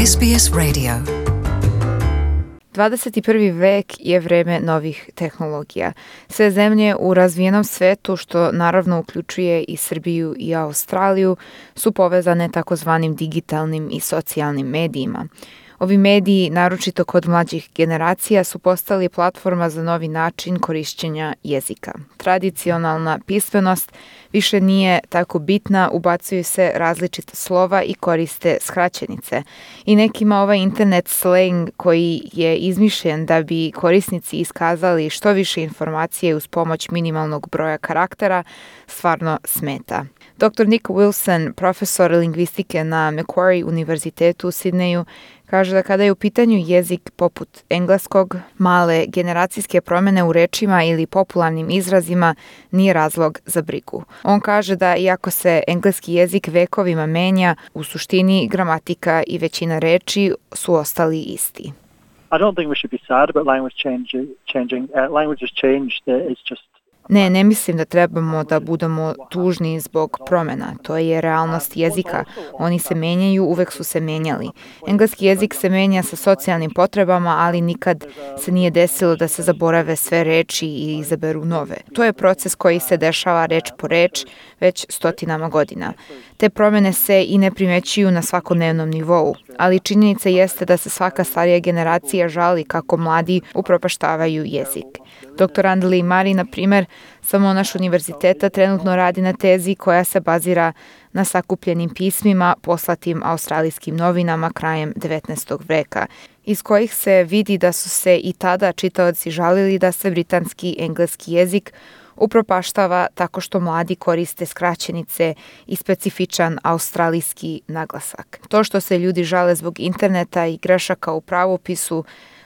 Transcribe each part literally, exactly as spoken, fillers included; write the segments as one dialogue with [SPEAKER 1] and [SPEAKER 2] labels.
[SPEAKER 1] S B S Radio. dvadeset prvi vek je vreme novih tehnologija. Sve zemlje u razvijenom svetu, što naravno uključuje i Srbiju i Australiju, su povezane takozvanim digitalnim i socijalnim medijima. Ovi mediji, naročito kod mlađih generacija, su postali platforma za novi način korišćenja jezika. Tradicionalna pismenost više nije tako bitna, ubacuju se različita slova i koriste skraćenice. I nekima ovaj internet slang koji je izmišljen da bi korisnici iskazali što više informacije uz pomoć minimalnog broja karaktera, stvarno smeta. doktor Nick Wilson, profesor lingvistike na Macquarie univerzitetu u Sidneju, kaže da kada je u pitanju jezik poput engleskog, male generacijske promjene u rečima ili popularnim izrazima nije razlog za brigu. On kaže da iako se engleski jezik vekovima menja, u suštini gramatika i većina reči su ostali isti.
[SPEAKER 2] I don't think we should be sad about language change, changing. Uh, language has changed. Uh, it's just
[SPEAKER 3] Ne, ne mislim da trebamo da budemo tužni zbog promjena. To je realnost jezika. Oni se menjaju, uvek su se menjali. Engleski jezik se menja sa socijalnim potrebama, ali nikad se nije desilo da se zaborave sve reči i izaberu nove. To je proces koji se dešava reč po reč već stotinama godina. Te promjene se i ne primećuju na svakodnevnom nivou, ali činjenica jeste da se svaka starija generacija žali kako mladi upropaštavaju jezik. doktor Andeli Mari, na primjer, samo naš univerziteta trenutno radi na tezi koja se bazira na sakupljenim pismima poslatim australijskim novinama krajem devetnaestog veka, iz kojih se vidi da su se i tada čitaoci žalili da se britanski engleski jezik upropaštava tako što mladi koriste skraćenice i specifičan australijski naglasak. To što se ljudi žale zbog interneta i grešaka u pravopisu,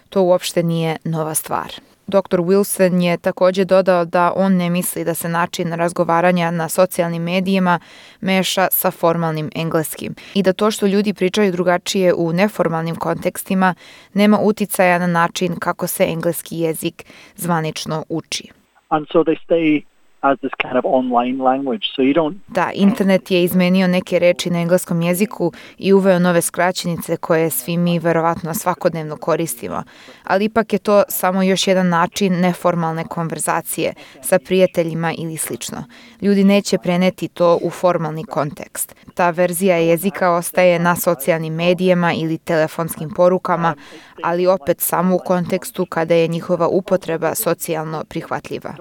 [SPEAKER 3] to uopšte nije nova stvar. doktor Wilson je također dodao da on ne misli da se način razgovaranja na socijalnim medijima meša sa formalnim engleskim i da to što ljudi pričaju drugačije u neformalnim kontekstima nema uticaja na način kako se engleski jezik zvanično uči.
[SPEAKER 2] And so they stay as this kind of online language. So you don't...
[SPEAKER 3] Da, internet je izmenio neke reči na engleskom jeziku i uveo nove skraćenice koje svi mi verovatno svakodnevno koristimo. Ali ipak je to samo još jedan način neformalne konverzacije sa prijateljima ili slično. Ljudi neće preneti to u formalni kontekst. Ta verzija jezika ostaje na socijalnim medijima ili telefonskim porukama, ali opet samo u kontekstu kada je njihova upotreba socijalno prihvatljiva.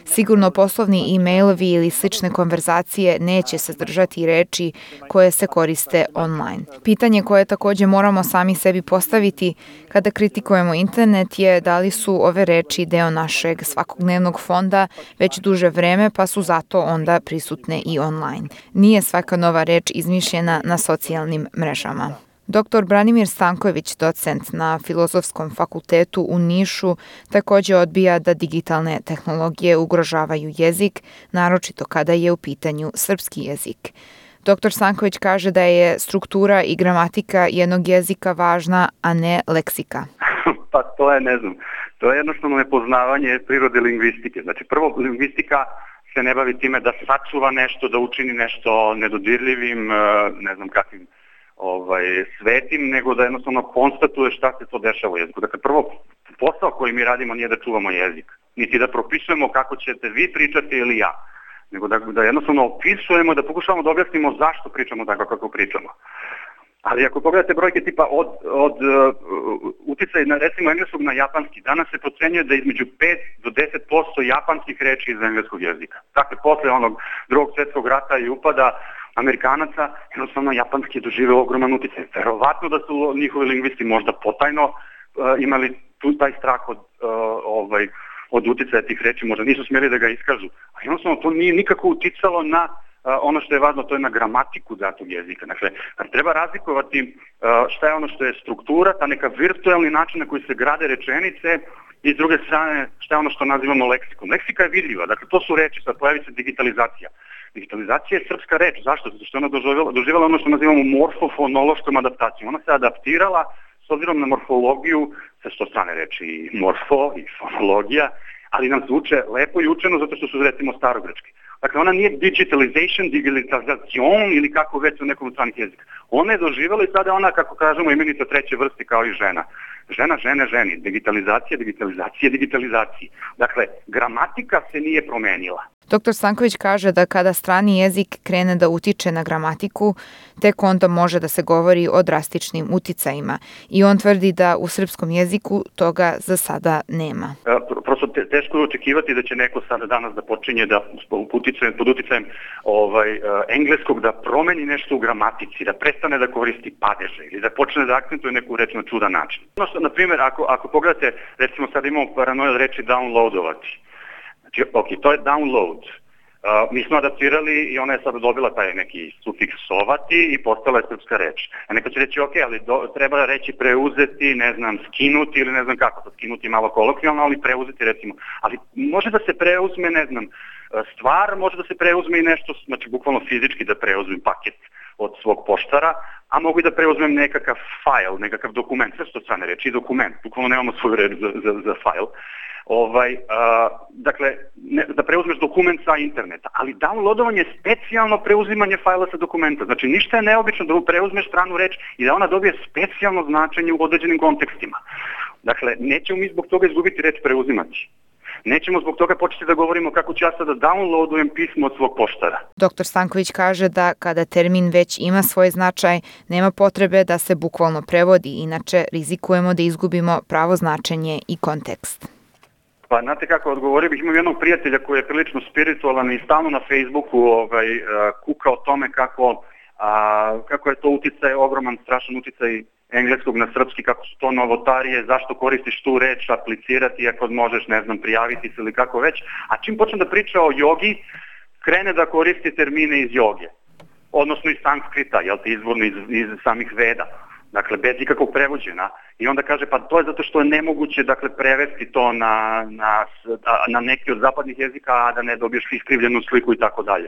[SPEAKER 3] Sigurno poslovni e-mailovi ili slične konverzacije neće sadržati reči koje se koriste online. Pitanje koje također moramo sami sebi postaviti kada kritikujemo internet je da li su ove reči deo našeg svakodnevnog fonda već duže vreme pa su zato onda prisutne i online. Nije svaka nova reč izmišljena na socijalnim mrežama. doktor Branimir Stanković, docent na Filozofskom fakultetu u Nišu, također odbija da digitalne tehnologije ugrožavaju jezik, naročito kada je u pitanju srpski jezik. doktor Stanković kaže da je struktura i gramatika jednog jezika važna, a ne leksika.
[SPEAKER 4] Pa to je, ne znam, to je jednostavno nepoznavanje prirode lingvistike. Znači, prvo, lingvistika se ne bavi time da sačuva nešto, da učini nešto nedodirljivim, ne znam kakvim ovaj, svetim, nego da jednostavno konstatuje šta se to dešava u jeziku. Dakle, prvo, posao koji mi radimo nije da čuvamo jezik, niti da propisujemo kako ćete vi pričati ili ja, nego da, da jednostavno opisujemo, da pokušavamo da objasnimo zašto pričamo tako kako pričamo. Ali ako pogledate brojke tipa od, od uh, uticaja na, recimo, engleskog na japanski, danas se procenjuje da između pet do deset posto japanskih reči iz engleskog jezika. Dakle, posle onog drugog svjetskog rata i upada Amerikanaca, jednostavno japanski je doživeo ogroman uticaj. Verovatno da su njihovi lingvisti možda potajno uh, imali tu taj strah od, uh, ovaj, od uticaja tih reči, možda nisu smjeli da ga iskažu. A jednostavno to nije nikako uticalo na Uh, ono što je važno, to je na gramatiku datog jezika. Dakle, treba razlikovati uh, šta je ono što je struktura, ta neka virtualni način na koji se grade rečenice i s druge strane šta je ono što nazivamo leksikom. Leksika je vidljiva, dakle to su reči, sad pojavi se digitalizacija. Digitalizacija je srpska reč, zašto? Zato što je ona doživjela, doživjela ono što nazivamo morfofonološkom adaptacijom. Ona se adaptirala s obzirom na morfologiju, sa što strane reči i morfo i fonologija, ali nam zvuče lepo i učeno zato što su recimo starogrečki. Dakle, ona nije digitalization, digitalizacion ili kako već u nekom stranih jezika. Ona je doživjela i sada ona, kako kažemo, imenica treće vrste kao i žena. Žena, žene, ženi. Digitalizacija, digitalizacija, digitalizacija. Dakle, gramatika se nije promenila.
[SPEAKER 1] Doktor Stanković kaže da kada strani jezik krene da utiče na gramatiku, tek onda može da se govori o drastičnim uticajima. I on tvrdi da u srpskom jeziku toga za sada nema.
[SPEAKER 4] E, prosto te, teško je očekivati da će neko sada danas da počinje da uticajem, pod uticajem ovaj, engleskog da promeni nešto u gramatici, da prestane da koristi padeže ili da počne da akcentuje neku reč na čudan način. Ono što, na primjer, ako, ako pogledate, recimo sad imamo paranoju od reči downloadovati. Znači, ok, to je download. Uh, mi smo adaptirali i ona je sad dobila taj neki sufiks sovati i postala je srpska reč. A neko će reći, ok, ali do, treba reći preuzeti, ne znam, skinuti ili ne znam kako, to skinuti malo kolokvijalno, ali preuzeti recimo. Ali može da se preuzme, ne znam, stvar, može da se preuzme i nešto, znači bukvalno fizički da preuzmem paket od svog poštara, a mogu i da preuzmem nekakav file, nekakav dokument, sve što strane reči, dokument, bukvalno nemamo svoju reč za, za, za file. Ovaj, a, dakle, ne, da preuzmeš dokument sa interneta, ali downloadovanje je specijalno preuzimanje fajla sa dokumenta. Znači, ništa je neobično da preuzmeš stranu reč i da ona dobije specijalno značenje u određenim kontekstima. Dakle, nećemo mi zbog toga izgubiti reč preuzimati. Nećemo zbog toga početi da govorimo kako ću ja sada downloadujem pismo od svog poštara.
[SPEAKER 1] Doktor Stanković kaže da kada termin već ima svoj značaj, nema potrebe da se bukvalno prevodi, inače rizikujemo da izgubimo pravo značenje i kontekst.
[SPEAKER 4] Pa znate kako odgovorio bih, imam jednog prijatelja koji je prilično spiritualan i stalno na Facebooku ovaj, kuka o tome kako, a, kako je to uticaj, ogroman, strašan uticaj engleskog na srpski, kako su to novotarije, zašto koristiš tu reč, aplicirati ako možeš, ne znam, prijaviti se ili kako već. A čim počnem da priča o jogi, krene da koristi termine iz joge, odnosno iz sanskrita, jel te, izvorno iz, iz samih veda. Dakle, bez ikakvog prevođena. I onda kaže, pa to je zato što je nemoguće, dakle, prevesti to na, na, na neki od zapadnih jezika, a da ne dobiješ iskrivljenu sliku i tako dalje.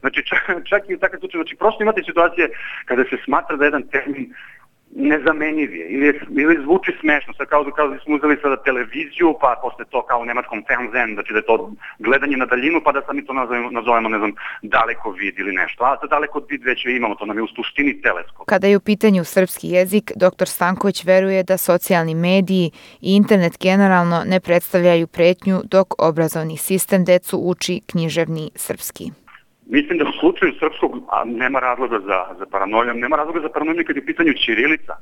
[SPEAKER 4] Znači, čak, čak i u takav slučaju, znači, prosto imate situacije kada se smatra da jedan termin nezamenjiv je ili, ili zvuči smešno, sad kao, kao da smo uzeli sada televiziju, pa posle to kao u nemačkom Fernsehen, znači da je to gledanje na daljinu, pa da sad mi to nazovemo, nazovemo ne znam, daleko vid ili nešto, a za daleko vid već imamo, to nam je u suštini teleskop.
[SPEAKER 1] Kada je u pitanju srpski jezik, doktor Stanković veruje da socijalni mediji i internet generalno ne predstavljaju pretnju dok obrazovni sistem decu uči književni srpski.
[SPEAKER 4] Mislim da u slučaju srpskog a nema razloga za, za paranojom, nema razloga za paranojom kad je u pitanju ćirilica.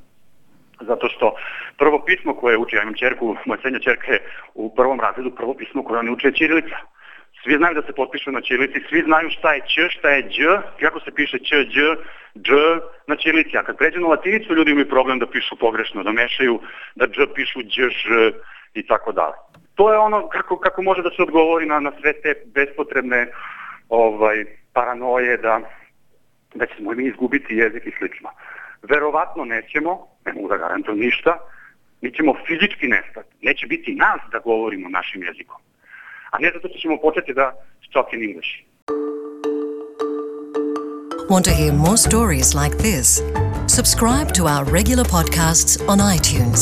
[SPEAKER 4] Zato što prvo pismo koje uči, ja imam ćerku, moja srednja ćerka je u prvom razredu, prvo pismo koje oni uče je ćirilica. Svi znaju da se potpišu na ćirilici, svi znaju šta je ć, šta je đ, kako se piše ć, đ, dž na ćirilici. A kad pređu na latinicu, ljudi imaju problem da pišu pogrešno, da mešaju, da dž pišu đ, ž i tako dalje. To je ono kako, kako može da se odgovori na, na sve te bespotrebne ovaj, paranoje da, da ćemo mi izgubiti jezik i slično. Verovatno nećemo, ne mogu da garantujem ništa, mi ćemo fizički nestati. Neće biti nas da govorimo našim jezikom. A ne zato što ćemo početi da talk in English.
[SPEAKER 5] Want to hear more stories like this? Subscribe to our regular podcasts on iTunes.